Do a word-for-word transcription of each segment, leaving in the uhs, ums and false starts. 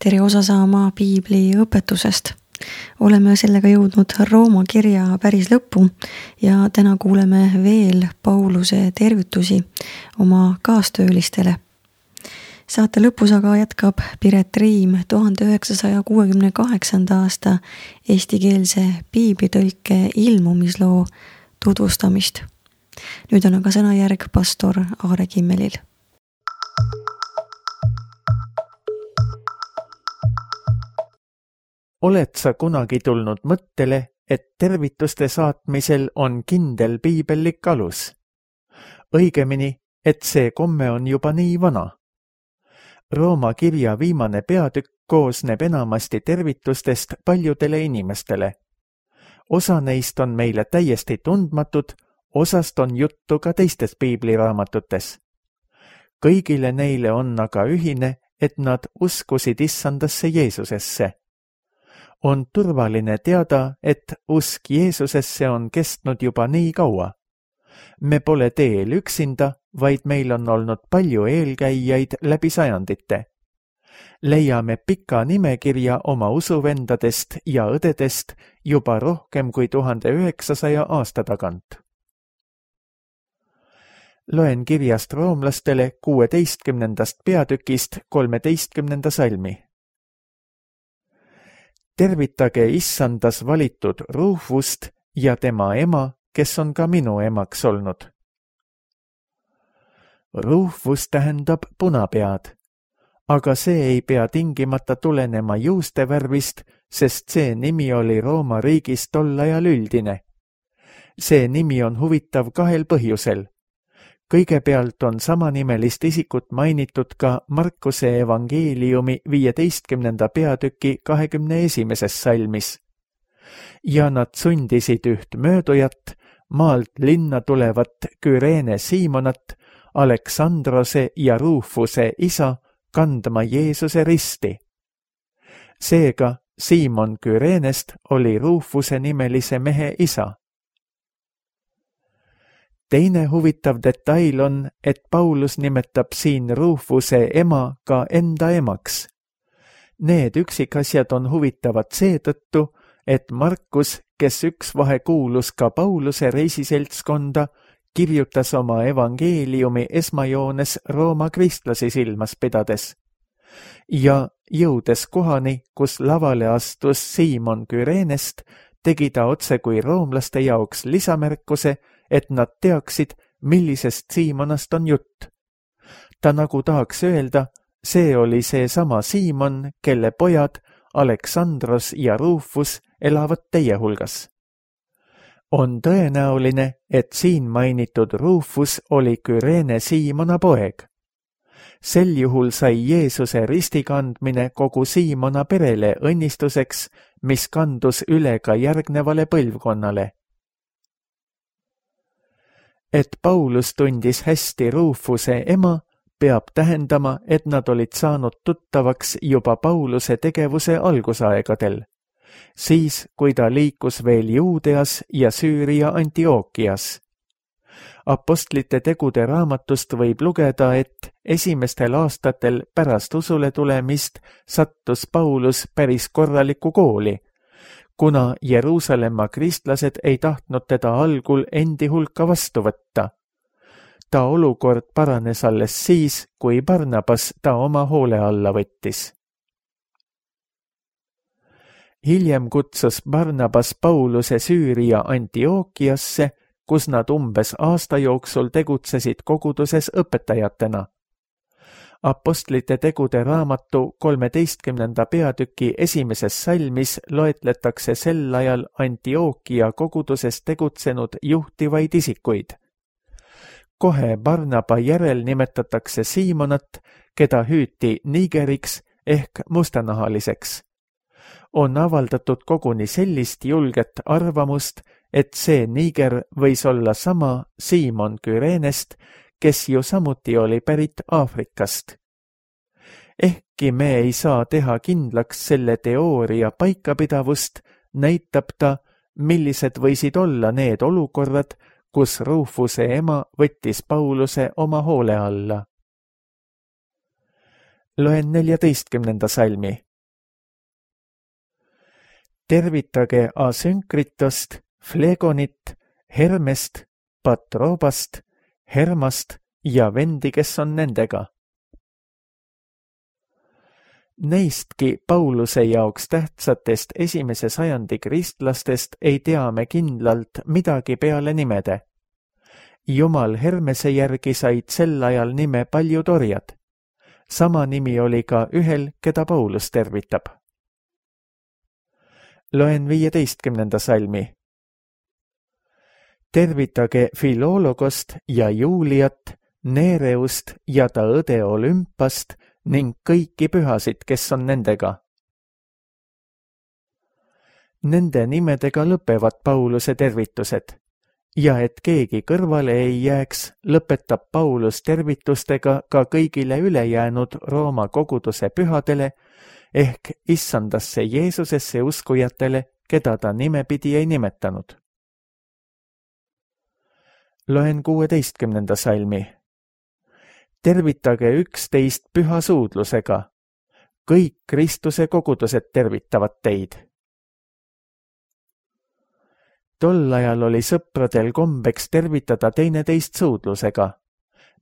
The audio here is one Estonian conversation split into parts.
tere osa saama piibli õpetusest. Oleme sellega jõudnud Rooma kirja päris lõppu ja täna kuuleme veel Pauluse tervitusi oma kaastöölistele. Saate lõpus aga jätkab Piret Riim tuhande üheksasaja kuuekümne kaheksanda aasta eestikeelse piiblitõlke ilmumisloo tutvustamist. Nüüd on aga sõnajärg pastor Aare Kimmelil. Oled sa kunagi tulnud mõttele, et tervituste saatmisel on kindel piibellik alus? Õigemini, et see komme on juba nii vana. Rooma kirja viimane peatükk koosneb enamasti tervitustest paljudele inimestele. Osa neist on meile täiesti tundmatud, osast on juttu ka teistes piibliraamatutes. Kõigile neile on aga ühine, et nad uskusid issandasse Jeesusesse. On turvaline teada, et usk Jeesusesse on kestnud juba nii kaua. Me pole teel üksinda, vaid meil on olnud palju eelkäijaid läbi sajandite. Leiame pika nimekirja oma usuvendadest ja õdedest juba rohkem kui tuhande üheksasaja aasta tagant. Loen kirjast roomlastele kuueteistkümnendast peatükist kolmeteistkümnenda salmi. Tervitage issandas valitud Rufust ja tema ema, kes on ka minu emaks olnud. Rufus tähendab punapead, aga see ei pea tingimata tulenema juustevärvist, sest see nimi oli Rooma riigis tol ajal üldine. See nimi on huvitav kahel põhjusel. Kõigepealt on samanimelist isikut mainitud ka Markuse evangeeliumi viieteistkümnenda peatüki kahekümne esimeses salmis. Ja nad sundisid üht möödujat, maalt linna tulevat Küreene Siimonat, Aleksandrose ja Rufuse isa, kandma Jeesuse risti. Seega Siimon Küreenest oli Rufuse nimelise mehe isa. Teine huvitav detail on, et Paulus nimetab siin Rufuse ema ka enda emaks. Need üksikasjad on huvitavad seetõttu, et Markus, kes üks vahe kuulus ka Pauluse reisiseltskonda, kirjutas oma evangeeliumi esmajoones Rooma kristlasi silmas pidades. Ja jõudes kohani, kus lavale astus Siimon Küreenest, tegi ta otse kui roomlaste jaoks lisamärkuse, et nad teaksid, millisest Siimonast on jutt. Ta nagu tahaks öelda, see oli see sama Siimon, kelle pojad Aleksandros ja Rufus elavad teie hulgas. On tõenäoline, et siin mainitud Rufus oli Küreene Siimona poeg. Sel juhul sai Jeesuse ristikandmine kogu Siimona perele õnnistuseks, mis kandus üle ka järgnevale põlvkonnale. Et Paulus tundis hästi Rufuse ema, peab tähendama, et nad olid saanud tuttavaks juba Pauluse tegevuse algusaegadel, siis kui ta liikus veel Juudeas ja Süüria Antiookias. Apostlite tegude raamatust võib lugeda, et esimestel aastatel pärast usule tulemist sattus Paulus päris korralikku kooli, kuna Jeruusalemma kristlased ei tahtnud teda algul endi hulka vastu võtta. Ta olukord paranes alles siis, kui Barnabas ta oma hoole alla võttis. Hiljem kutsus Barnabas Pauluse Süüria Antiookiasse, kus nad umbes aasta jooksul tegutsesid koguduses õpetajatena. Apostlite tegude raamatu kolmeteistkümnenda peatüki esimeses salmis loetletakse sel ajal Antiookia koguduses tegutsenud juhtivaid isikuid. Kohe Barnaba järel nimetatakse Siimonat, keda hüüti nigeriks ehk mustanahaliseks. On avaldatud koguni sellist julget arvamust, et see niger võis olla sama Siimon Küreenest, kes ju samuti oli pärit Aafrikast. Ehkki me ei saa teha kindlaks selle teooria paikapidavust, näitab ta, millised võisid olla need olukorrad, kus Rufuse ema võttis Pauluse oma hoole alla. Loen neljateistkümnenda salmi. tervitage Asynkritost, Flegonit, Hermest, Patrobast, Hermast ja vendi, kes on nendega. Neistki Pauluse jaoks tähtsatest esimese sajandi kristlastest ei tea me kindlalt midagi peale nimede. Jumal Hermese järgi said sel ajal nime paljud orjad. Sama nimi oli ka ühel, keda Paulus tervitab. Loen viieteistkümnenda salmi. Tervitage Filologost ja Juliat, Nereust ja ta õde Olümpast ning kõiki pühasid, kes on nendega. Nende nimedega lõpevad Pauluse tervitused. Ja et keegi kõrvale ei jääks, lõpetab Paulus tervitustega ka kõigile ülejäänud Rooma koguduse pühadele ehk issandasse Jeesusesse uskujatele, keda ta nimepidi ei nimetanud. Loen kuueteistkümnenda salmi. Tervitage üksteist püha suudlusega. Kõik Kristuse kogudused tervitavad teid. Tol ajal oli sõpradel kombeks tervitada teineteist suudlusega.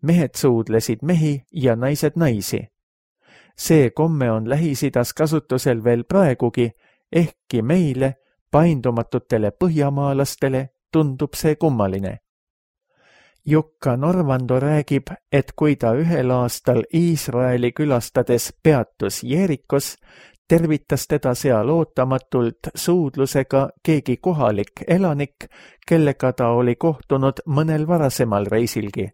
Mehed suudlesid mehi ja naised naisi. See komme on Lähis-Idas kasutusel veel praegugi, ehkki meile, paindumatutele põhjamaalastele, tundub see kummaline. Jukka Norvando räägib, et kui ta ühel aastal Iisraeli külastades peatus Jeerikos, tervitas teda seal ootamatult suudlusega keegi kohalik elanik, kellega ta oli kohtunud mõnel varasemal reisilgi.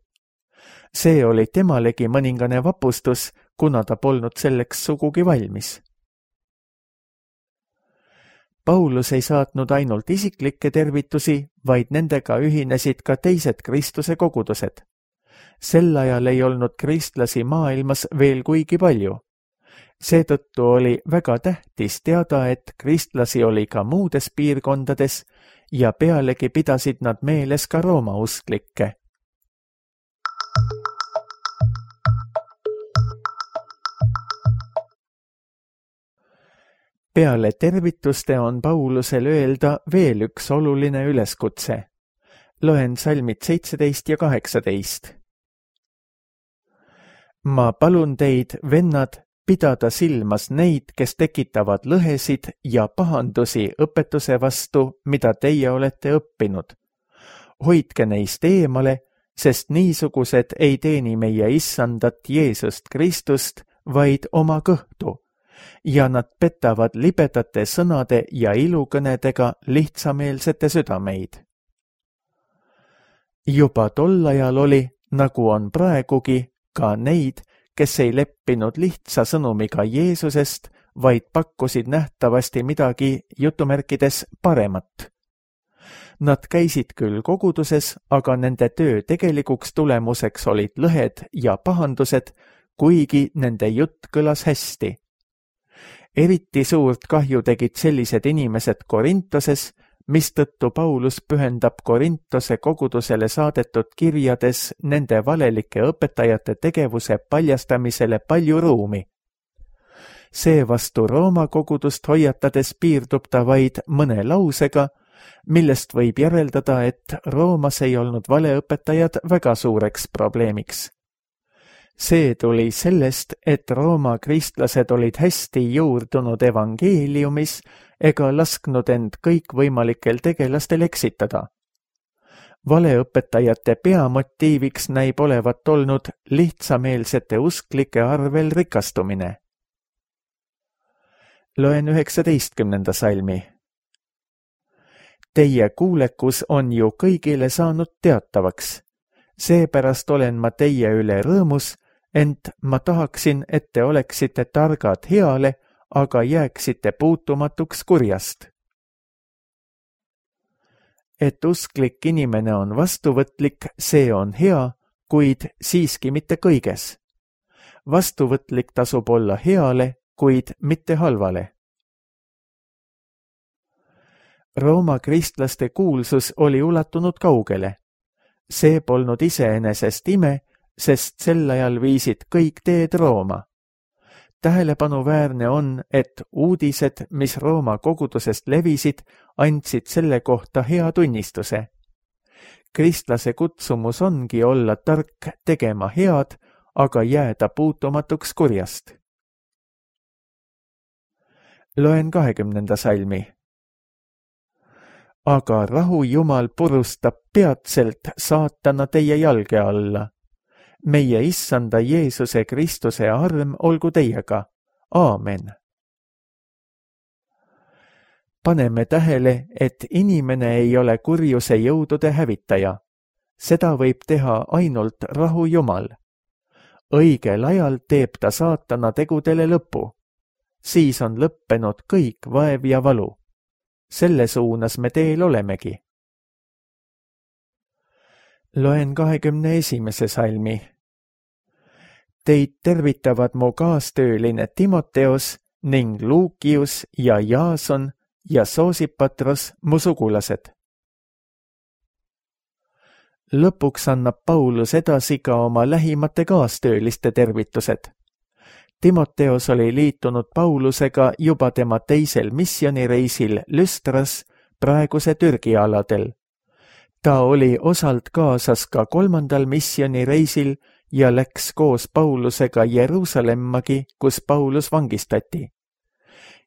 See oli temalegi mõningane vapustus, kuna ta polnud selleks sugugi valmis. Paulus ei saatnud ainult isiklikke tervitusi, vaid nendega ühinesid ka teised Kristuse kogudused. Sel ajal ei olnud kristlasi maailmas veel kuigi palju. Seetõttu oli väga tähtis teada, et kristlasi oli ka muudes piirkondades ja pealegi pidasid nad meeles ka Rooma usklikke. Peale tervituste on Paulusel öelda veel üks oluline üleskutse. Loen salmid seitseteist ja kaheksateist. Ma palun teid, vennad, pidada silmas neid, kes tekitavad lõhesid ja pahandusi õpetuse vastu, mida teie olete õppinud. Hoidke neist eemale, sest niisugused ei teeni meie issandat Jeesust Kristust, vaid oma kõhtu, ja nad petavad libedate sõnade ja ilukõnedega lihtsameelsete südameid. Juba tol ajal oli, nagu on praegugi, ka neid, kes ei leppinud lihtsa sõnumiga Jeesusest, vaid pakkusid nähtavasti midagi jutumärkides paremat. Nad käisid küll koguduses, aga nende töö tegelikuks tulemuseks olid lõhed ja pahandused, kuigi nende jutt kõlas hästi. Eriti suurt kahju tegid sellised inimesed Korintoses, mistõttu Paulus pühendab Korintose kogudusele saadetud kirjades nende valelike õpetajate tegevuse paljastamisele palju ruumi. Seevastu Rooma kogudust hoiatades piirdub ta vaid mõne lausega, millest võib järeldada, et Roomas ei olnud valeõpetajad väga suureks probleemiks. See tuli sellest, et Rooma kristlased olid hästi juurdunud evangeeliumis ega lasknud end kõikvõimalikel tegelastel eksitada. Valeõpetajate peamotiiviks näib olevat olnud lihtsameelsete usklike arvel rikastumine. Loen üheksateistkümnenda salmi. Teie kuulekus on ju kõigile saanud teatavaks. Seepärast olen ma teie üle rõõmus, ent ma tahaksin, et te oleksite targad heale, aga jääksite puutumatuks kurjast. Et usklik inimene on vastuvõtlik, see on hea, kuid siiski mitte kõiges. Vastuvõtlik tasub olla heale, kuid mitte halvale. Rooma kristlaste kuulsus oli ulatunud kaugele. See polnud iseenesest ime, sest sel ajal viisid kõik teed Rooma. tähelepanuväärne on, et uudised, mis Rooma kogudusest levisid, andsid selle kohta hea tunnistuse. Kristlase kutsumus ongi olla tark tegema head, aga jääda puutumatuks kurjast. Loen kahekümnenda salmi. Aga rahu Jumal purustab peatselt saatana teie jalge alla. Meie issanda Jeesuse Kristuse arm olgu teiega. Aamen. Paneme tähele, et inimene ei ole kurjuse jõudude hävitaja. Seda võib teha ainult rahu Jumal. Õigel ajal teeb ta saatana tegudele lõpu. Siis on lõppenud kõik vaev ja valu. Selle suunas me teel olemegi. Loen kahekümne esimese salmi. Teid tervitavad mu kaastööline Timoteos ning Luukius ja Jaason ja Soosipatros mu sugulased. Lõpuks annab Paulus edasi ka oma lähimate kaastööliste tervitused. Timoteos oli liitunud Paulusega juba tema teisel missioonireisil Lüstras, praeguse Türgi aladel. Ta oli osalt kaasas ka kolmandal missioonireisil ja läks koos Paulusega Jeruusaleemmagi, kus Paulus vangistati.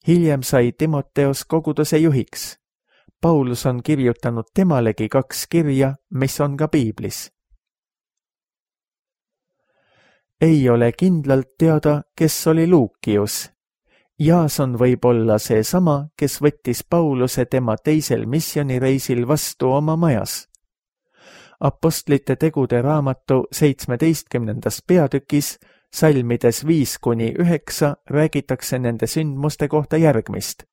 Hiljem sai Timoteos koguduse juhiks. Paulus on kirjutanud temalegi kaks kirja, mis on ka piiblis. Ei ole kindlalt teada, kes oli Luukius. Jaason võib olla see sama, kes võttis Pauluse tema teisel missioonireisil vastu oma majas. Apostlite tegude raamatu seitsmeteistkümnendas peatükis, salmides viis kuni üheksa, räägitakse nende sündmuste kohta järgmist.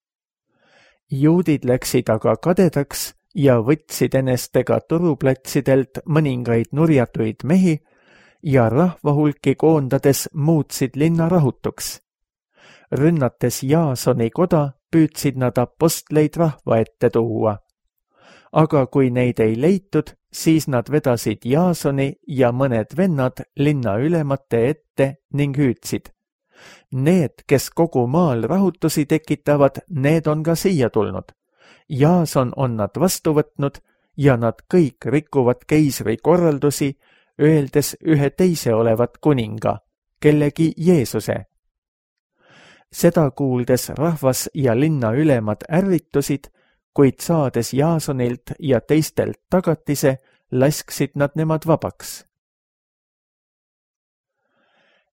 Juudid läksid aga kadedaks ja võtsid enestega turuplatsidelt mõningaid nurjatuid mehi, ja rahvahulki koondades muutsid linna rahutuks. Rünnates Jaasoni koda, püüdsid nad apostleid rahva ette tuua. Aga kui neid ei leitud, siis nad vedasid Jaasoni ja mõned vennad linna ülemate ette ning hüüdsid. Need, kes kogu maal rahutusi tekitavad, need on ka siia tulnud. Jaason on nad vastu võtnud ja nad kõik rikuvad keisri korraldusi, öeldes ühe teise olevat kuninga, kellegi Jeesuse. Seda kuuldes rahvas ja linna ülemad ärritusid, kuid saades Jaasonilt ja teistelt tagatise, lasksid nad nemad vabaks.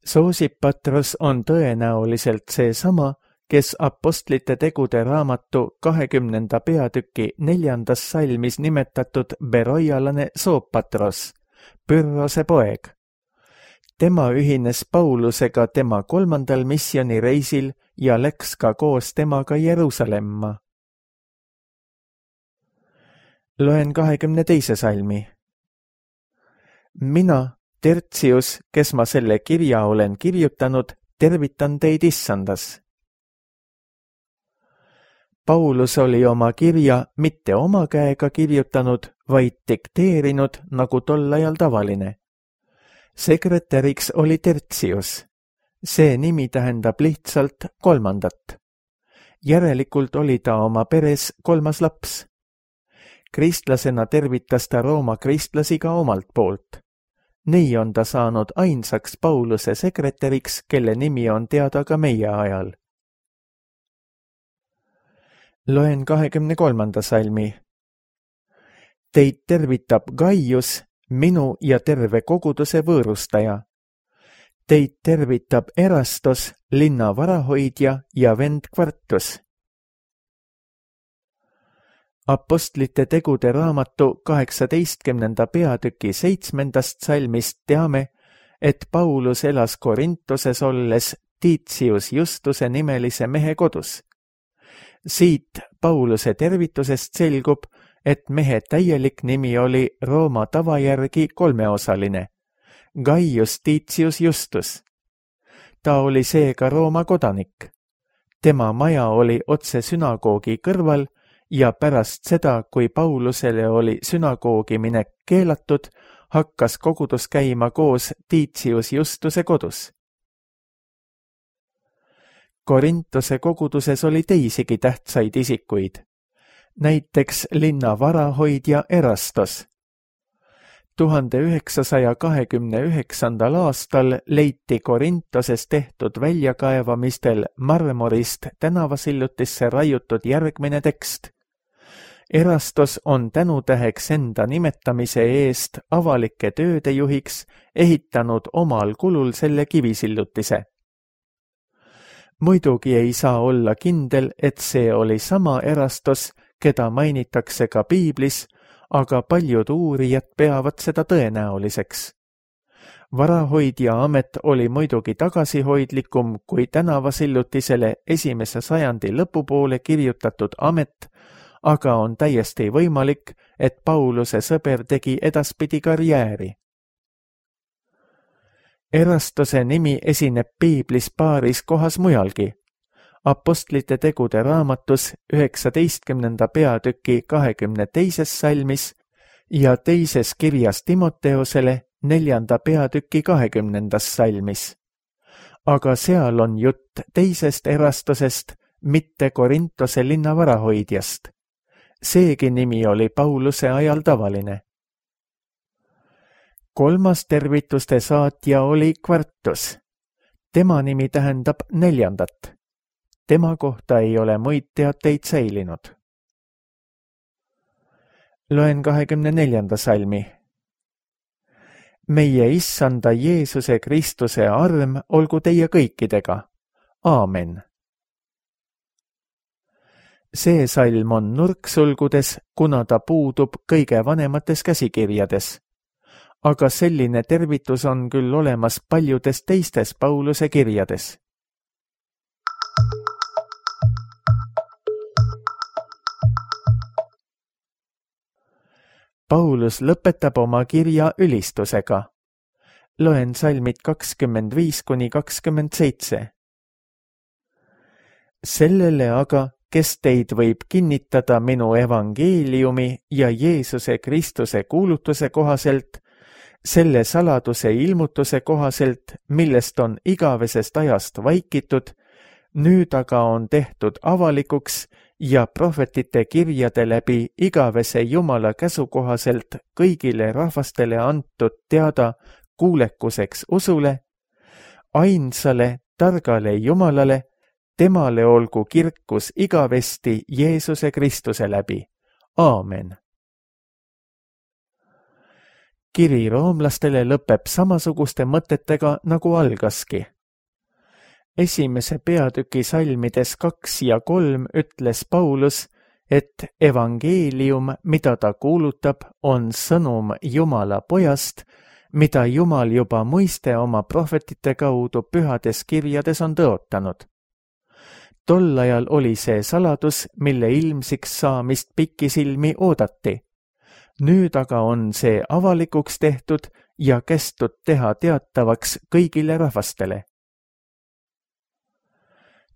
Soosipatros on tõenäoliselt seesama, kes apostlite tegude raamatu kahekümnenda peatüki neljandas salmis nimetatud beroialane Soopatros, Pyrrhose poeg. Tema ühines Paulusega tema kolmandal missioonireisil ja läks ka koos temaga Jeruusalemma. Loen kahekümne teise salmi. Mina, Tertius, kes ma selle kirja olen kirjutanud, tervitan teid issandas. Paulus oli oma kirja mitte oma käega kirjutanud, vaid dikteerinud, nagu tol ajal tavaline. Sekretäriks oli Tertius. See nimi tähendab lihtsalt kolmandat. Järelikult oli ta oma peres kolmas laps. Kristlasena tervitas ta Rooma kristlasi ka omalt poolt. Nii on ta saanud ainsaks Pauluse sekretäriks, kelle nimi on teada ka meie ajal. Loen kahekümne kolmanda salmi. Teid tervitab Gaius, minu ja terve koguduse võõrustaja. Teid tervitab Erastos, linna varahoidja ja vend Kvartus. Apostlite tegude raamatu kaheksateistkümnenda peatüki seitsmendast salmist teame, et Paulus elas Korintoses olles Titius Justuse nimelise mehe kodus. Siit Pauluse tervitusest selgub, et mehe täielik nimi oli Rooma tava järgi kolmeosaline, Gaius Titius Justus. Ta oli seega Rooma kodanik. Tema maja oli otse sünagoogi kõrval ja pärast seda, kui Paulusele oli sünagoogi minek keelatud, hakkas kogudus käima koos Titius Justuse kodus. Korintuse koguduses oli teisigi tähtsaid isikuid, näiteks linna varahoidja Erastos. tuhande üheksasaja kahekümne üheksandal aastal leiti Korintoses tehtud väljakaevamistel marmorist tänavasillutisse raiutud järgmine tekst. Erastos on tänutäheks enda nimetamise eest avalike tööde juhiks ehitanud omal kulul selle kivisillutise. Muidugi ei saa olla kindel, et see oli sama Erastos, keda mainitakse ka piiblis, aga paljud uurijad peavad seda tõenäoliseks. Varahoidja amet oli muidugi tagasihoidlikum kui tänavasillutisele esimese sajandi lõpupoole kirjutatud amet, aga on täiesti võimalik, et Pauluse sõber tegi edaspidi karjääri. Erastose nimi esineb piiblis paaris kohas mujalgi. Apostlite tegude raamatus üheksateistkümnenda peatüki kahekümne teises salmis ja teises kirjas Timoteosele neljanda peatüki kahekümnendas salmis. Aga seal on jutt teisest Erastosest, mitte Korintose linna varahoidjast. Seegi nimi oli Pauluse ajal tavaline. Kolmas tervituste saatja oli Kvartus. Tema nimi tähendab neljandat. Tema kohta ei ole muid teateid säilinud. Loen kahekümne neljanda salmi. Meie issanda Jeesuse Kristuse arm olgu teie kõikidega. Aamen. See salm on nurksulgudes, kuna ta puudub kõige vanemates käsikirjades. Aga selline tervitus on küll olemas paljudes teistes Pauluse kirjades. Paulus lõpetab oma kirja ülistusega. Loen salmid kakskümmend viis kuni kakskümmend seitse. Sellele aga, kes teid võib kinnitada minu evangeeliumi ja Jeesuse Kristuse kuulutuse kohaselt, selle saladuse ilmutuse kohaselt, millest on igavesest ajast vaikitud, nüüd aga on tehtud avalikuks ja prohvetite kirjade läbi igavese Jumala käsu kohaselt kõigile rahvastele antud teada kuulekuseks usule, ainsale targale Jumalale, temale olgu kirkus igavesti Jeesuse Kristuse läbi. Aamen. Kiri roomlastele lõpeb samasuguste mõtetega nagu algaski. Esimese peatüki salmides kaks ja kolm ütles Paulus, et evangeelium, mida ta kuulutab, on sõnum Jumala pojast, mida Jumal juba muiste oma prohvetite kaudu pühades kirjades on tõotanud. Tol ajal oli see saladus, mille ilmsiks saamist pikisilmi oodati. Nüüd aga on see avalikuks tehtud ja kästud teha teatavaks kõigile rahvastele.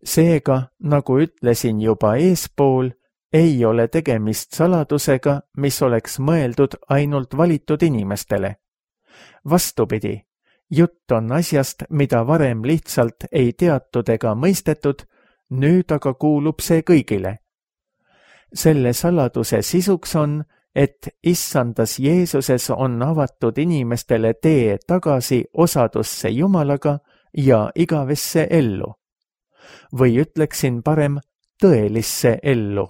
Seega, nagu ütlesin juba eespool, ei ole tegemist saladusega, mis oleks mõeldud ainult valitud inimestele. Vastupidi, jutt on asjast, mida varem lihtsalt ei teatud ega mõistetud, nüüd aga kuulub see kõigile. Selle saladuse sisuks on, et issandas Jeesuses on avatud inimestele tee tagasi osadusse Jumalaga ja igavesse ellu. Või ütleksin parem tõelisse ellu.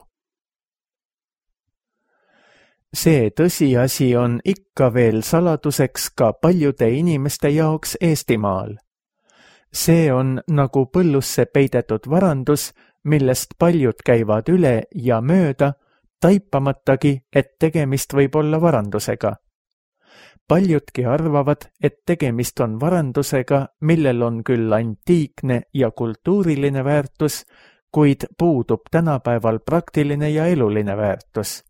See tõsiasi on ikka veel saladuseks ka paljude inimeste jaoks Eestimaal. See on nagu põllusse peidetud varandus, millest paljud käivad üle ja mööda, taipamatagi, et tegemist võib olla varandusega. Paljudki arvavad, et tegemist on varandusega, millel on küll antiikne ja kultuuriline väärtus, kuid puudub tänapäeval praktiline ja eluline väärtus.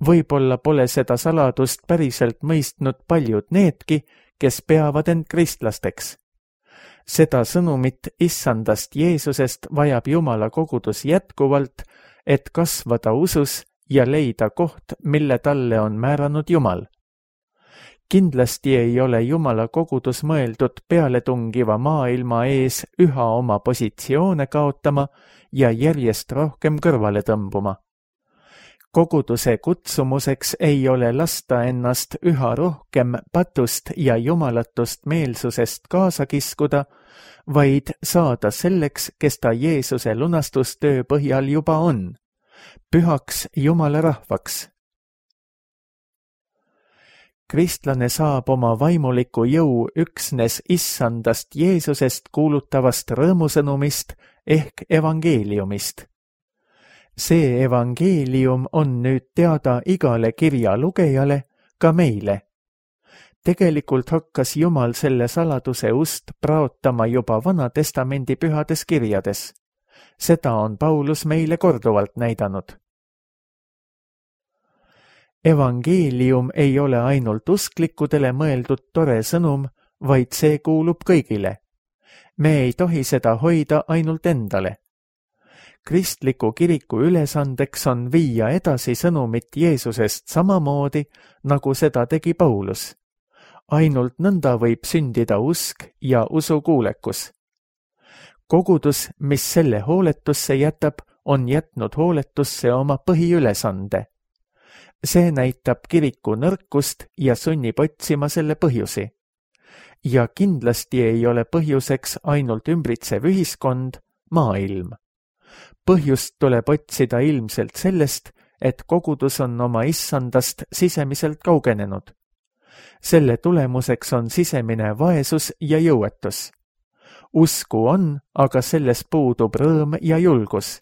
Võib-olla pole seda saladust päriselt mõistnud paljud needki, kes peavad end kristlasteks. Seda sõnumit issandast Jeesusest vajab Jumala kogudus jätkuvalt, et kasvada usus ja leida koht, mille talle on määranud Jumal. Kindlasti ei ole Jumala kogudus mõeldud pealetungiva maailma ees üha oma positsioone kaotama ja järjest rohkem kõrvale tõmbuma. Koguduse kutsumuseks ei ole lasta ennast üha rohkem patust ja jumalatust meelsusest kaasa kiskuda, vaid saada selleks, kes ta Jeesuse lunastustöö põhjal juba on, pühaks Jumala rahvaks. Kristlane saab oma vaimuliku jõu üksnes issandast Jeesusest kuulutavast rõõmusõnumist ehk evangeeliumist. See evangeelium on nüüd teada igale kirja lugejale, ka meile. Tegelikult hakkas Jumal selle saladuse ust praotama juba Vana Testamendi pühades kirjades. Seda on Paulus meile korduvalt näidanud. Evangeelium ei ole ainult usklikudele mõeldud tore sõnum, vaid see kuulub kõigile. Me ei tohi seda hoida ainult endale. Kristliku kiriku ülesandeks on viia edasi sõnumit Jeesusest samamoodi, nagu seda tegi Paulus. Ainult nõnda võib sündida usk ja usukuulekus. Kogudus, mis selle hooletusse jätab, on jätnud hooletusse oma põhiülesande. See näitab kiriku nõrkust ja sunnib otsima selle põhjusi. Ja kindlasti ei ole põhjuseks ainult ümbritsev ühiskond, maailm. Põhjust tuleb otsida ilmselt sellest, et kogudus on oma issandast sisemiselt kaugenenud. Selle tulemuseks on sisemine vaesus ja jõuetus. Usku on, aga selles puudub rõõm ja julgus.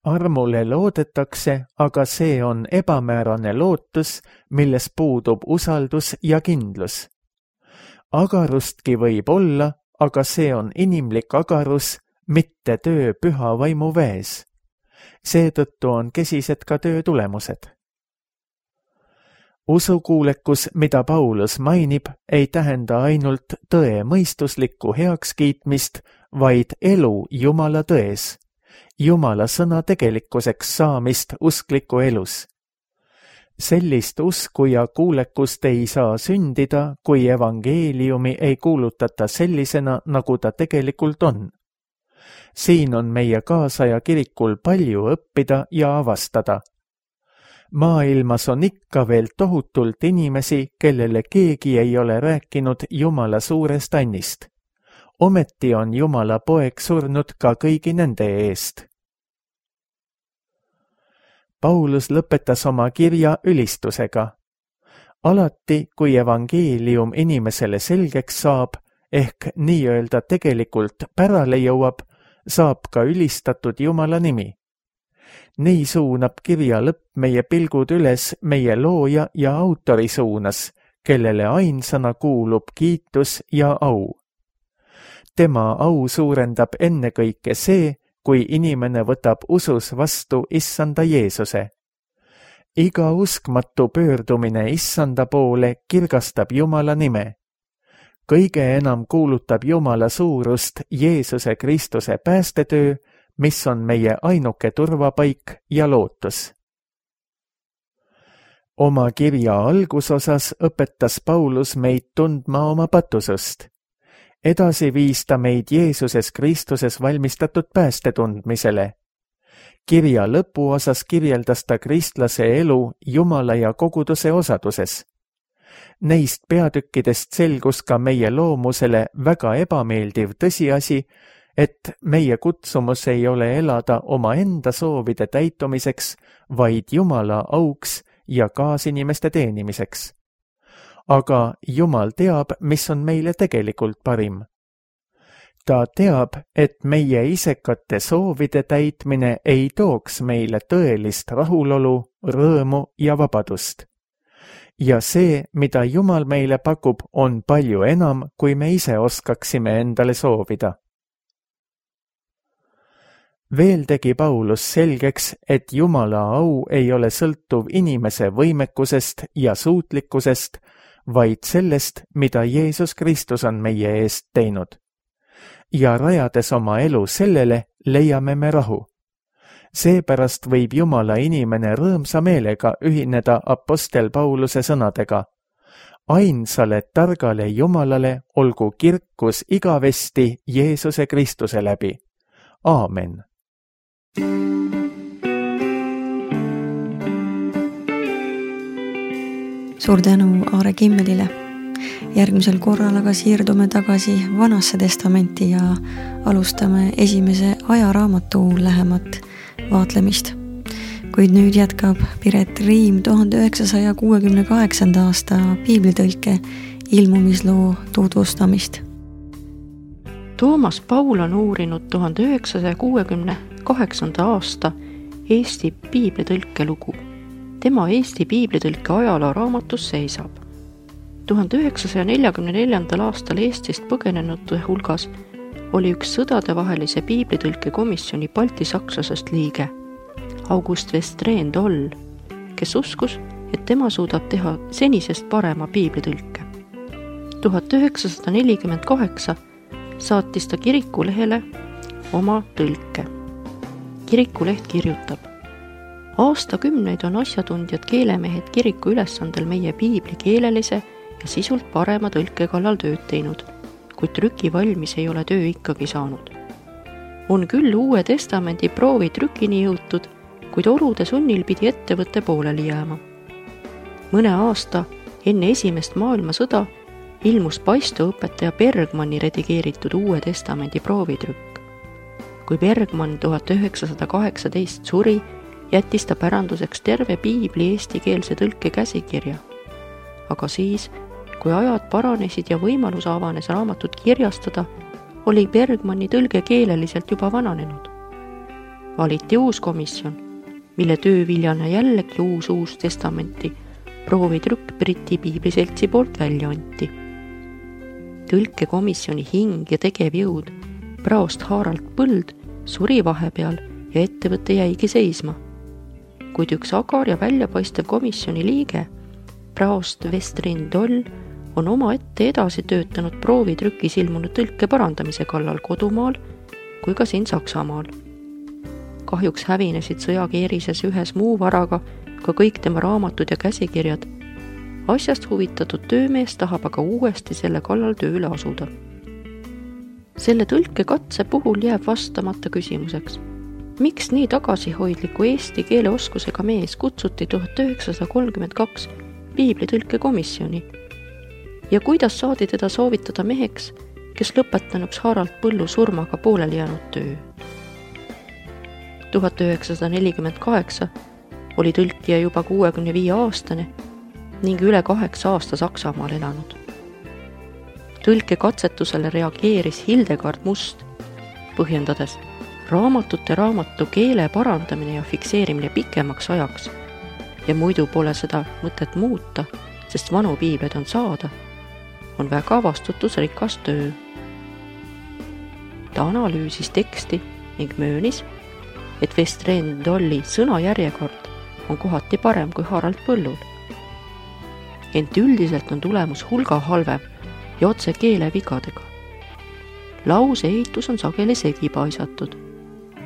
Armule loodetakse, aga see on ebamäärane lootus, milles puudub usaldus ja kindlus. Agarustki võib olla, aga see on inimlik agarus, mitte töö püha vaimu väes. Seetõttu on kesised ka töö tulemused. Usukuulekus, mida Paulus mainib, ei tähenda ainult tõe mõistuslikku heakskiitmist, vaid elu Jumala tões. Jumala sõna tegelikkuseks saamist uskliku elus. Sellist usku ja kuulekust ei saa sündida, kui evangeeliumi ei kuulutata sellisena, nagu ta tegelikult on. Siin on meie kaasaja kirikul palju õppida ja avastada. Maailmas on ikka veel tohutult inimesi, kellele keegi ei ole rääkinud Jumala suurest annist. Ometi on Jumala poeg surnud ka kõigi nende eest. Paulus lõpetas oma kirja ülistusega. Alati, kui evangeelium inimesele selgeks saab, ehk nii-öelda tegelikult pärale jõuab, saab ka ülistatud Jumala nimi. Nii suunab kirja lõpp meie pilgud üles meie looja ja autori suunas, kellele ainsana kuulub kiitus ja au. Tema au suurendab ennekõike see, kui inimene võtab usus vastu issanda Jeesuse. Iga uskmatu pöördumine issanda poole kirgastab Jumala nime. Kõige enam kuulutab Jumala suurust Jeesuse Kristuse päästetöö, mis on meie ainuke turvapaik ja lootus. Oma kirja algusosas õpetas Paulus meid tundma oma patusust. Edasi viis ta meid Jeesuses Kristuses valmistatud pääste tundmisele. Kirja lõpuosas kirjeldas ta kristlase elu Jumala ja koguduse osaduses. Neist peatükkidest selgus ka meie loomusele väga ebameeldiv tõsiasi, et meie kutsumus ei ole elada oma enda soovide täitumiseks, vaid Jumala auks ja kaasinimeste teenimiseks. Aga Jumal teab, mis on meile tegelikult parim. Ta teab, et meie isekate soovide täitmine ei tooks meile tõelist rahulolu, rõõmu ja vabadust. Ja see, mida Jumal meile pakub, on palju enam, kui me ise oskaksime endale soovida. Veel tegi Paulus selgeks, et Jumala au ei ole sõltuv inimese võimekusest ja suutlikkusest, vaid sellest, mida Jeesus Kristus on meie eest teinud. Ja rajades oma elu sellele, leiame me rahu. Seepärast võib Jumala inimene rõõmsa meelega ühineda apostel Pauluse sõnadega. ainsale targale Jumalale olgu kirkus igavesti Jeesuse Kristuse läbi. Aamen. Suur tänu Aare Kimmelile. Järgmisel korral aga siirdume tagasi Vanasse testamenti ja alustame esimese ajaraamatu lähemat vaatlemist. Kuid nüüd jätkab Piret Riim tuhande üheksasaja kuuekümne kaheksanda aasta piiblitõlke ilmumisloo tutvustamist. Toomas Paul on uurinud tuhande üheksasaja kuuekümne kaheksanda aasta Eesti piiblitõlke lugu. Tema Eesti piiblitõlke ajaloo raamatus seisab. tuhande üheksasaja neljakümne neljandal aastal Eestist põgenenute hulgas oli üks sõdadevahelise piiblitõlke komisjoni baltisakslasest liige, August Westreen Toll, kes uskus, et tema suudab teha senisest parema piiblitõlke. tuhat üheksasada nelikümmend kaheksa saatis ta kirikulehele oma tõlke. Kirikuleht kirjutab: aastakümneid on asjatundjad keelemehed kiriku ülesandel meie piibli keelelise ja sisult parema tõlke kallal tööd teinud, kuid trüki valmis ei ole töö ikkagi saanud. On küll Uue Testamendi proovi trükini jõutud, kuid olude sunnil pidi ettevõtte pooleli jääma. Mõne aasta enne esimest maailmasõda ilmus paistoõpetaja Bergmanni redigeeritud Uue Testamendi proovitrükk. Kui Bergmann tuhat üheksasada kaheksateist suri, jättis ta päranduseks terve piibli eestikeelse tõlke käsikirja. Aga siis, kui ajad paranesid ja võimalus avanes raamatut kirjastada, oli Bergmanni tõlge keeleliselt juba vananenud. Valiti uus komisjon, mille tööviljana jällegi uus uus testamenti proovitrükk Briti piibliseltsi poolt välja anti. Tõlkekomisjoni hing ja tegevjõud, praost Harald Põld, suri vahepeal ja ettevõte jäigi seisma. Kuid üks agar ja väljapaistev komisjoni liige, praost Westreen Toll, on oma ette edasi töötanud proovitrükis ilmunud tõlke parandamise kallal kodumaal kui ka siin Saksamaal. Kahjuks hävinesid sõjakeerises ühes muu varaga ka kõik tema raamatud ja käsikirjad. Asjast huvitatud töömees tahab aga uuesti selle kallal tööle asuda. Selle tõlke katse puhul jääb vastamata küsimuseks, miks nii tagasihoidliku eesti keele oskusega mees kutsuti tuhat üheksasada kolmkümmend kaks piiblitõlke komisjoni ja kuidas saadi teda soovitada meheks, kes lõpetanuks Harald Põllu surmaga pooleli jäänud töö. tuhat üheksasada nelikümmend kaheksa oli tõlkija juba kuuekümne viie aastane ning üle kaheksa aasta Saksamaal elanud. Tõlke katsetusele reageeris Hildegard Must, põhjendades raamatute raamatu keele parandamine ja fikseerimine pikemaks ajaks ja muidu pole seda mõtet muuta, sest vanu piiblid on saada, on väga vastutusrikas töö. Ta analüüsis teksti ning möönis, et Westreen Tolli sõnajärjekord on kohati parem kui Harald Põllul. Ent üldiselt on tulemus hulga halvem ja otse keele vigadega. Lause ehitus on sageli segipaisatud.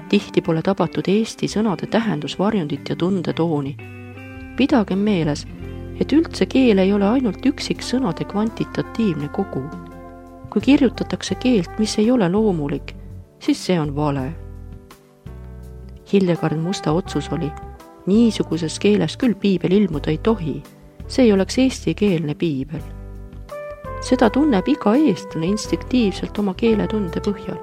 Tihti pole tabatud eesti sõnade tähendusvarjundit ja tundetooni. Pidagem meeles, et üldse keel ei ole ainult üksik sõnade kvantitatiivne kogu. Kui kirjutatakse keelt, mis ei ole loomulik, siis see on vale. Hildegard Musta otsus oli, niisuguses keeles küll piibel ilmuda ei tohi, see ei oleks eestikeelne piibel. Seda tunneb iga eestlane instinktiivselt oma keeletunde põhjal.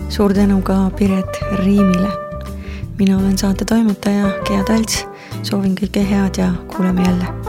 Suur tänu ka Piret Riimile. Mina olen saate toimetaja Gea Talts, soovin kõike head ja kuuleme jälle.